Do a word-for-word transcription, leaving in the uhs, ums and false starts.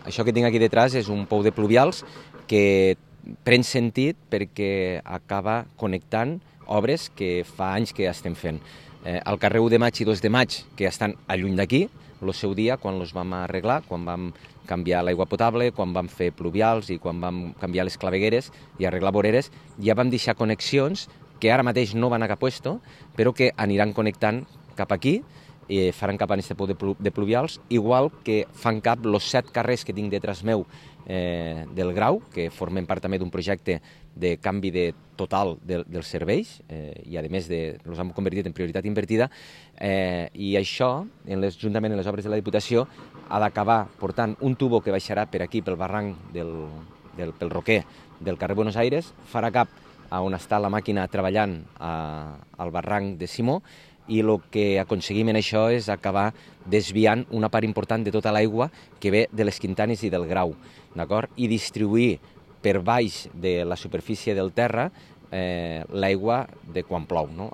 això que tinc aquí detrás és un pou de pluvials que pren sentit perquè acaba connectant obres que fa anys que estem fent. Eh, el carrer u de maig i dos de maig, que estan alluny d'aquí, el seu dia, quan els vam arreglar, quan vam canviar l'aigua potable, quan vam fer pluvials i quan vam canviar les clavegueres i arreglar voreres, ja vam deixar connexions que ara mateix no van a cap puesto, però que aniran connectant cap aquí, i faran cap a aquest pou de, plu de pluvials, igual que fan cap els set carrers que tinc detrás meu eh, del Grau, que formen part també d'un projecte de canvi de total de, dels serveis, eh, i a més de, els hem convertit en prioritat invertida, eh, i això, en les, juntament amb les obres de la Diputació, ha d'acabar portant un tubo que baixarà per aquí, pel barranc del, del, pel roquer del carrer Buenos Aires, farà cap a on està la màquina treballant a, al barranc de Simó, i el que aconseguim en això és acabar desviant una part important de tota l'aigua que ve de les Quintanes i del Grau, d'acord? I distribuir per baix de la superfície del terra eh, l'aigua de quan plou, no?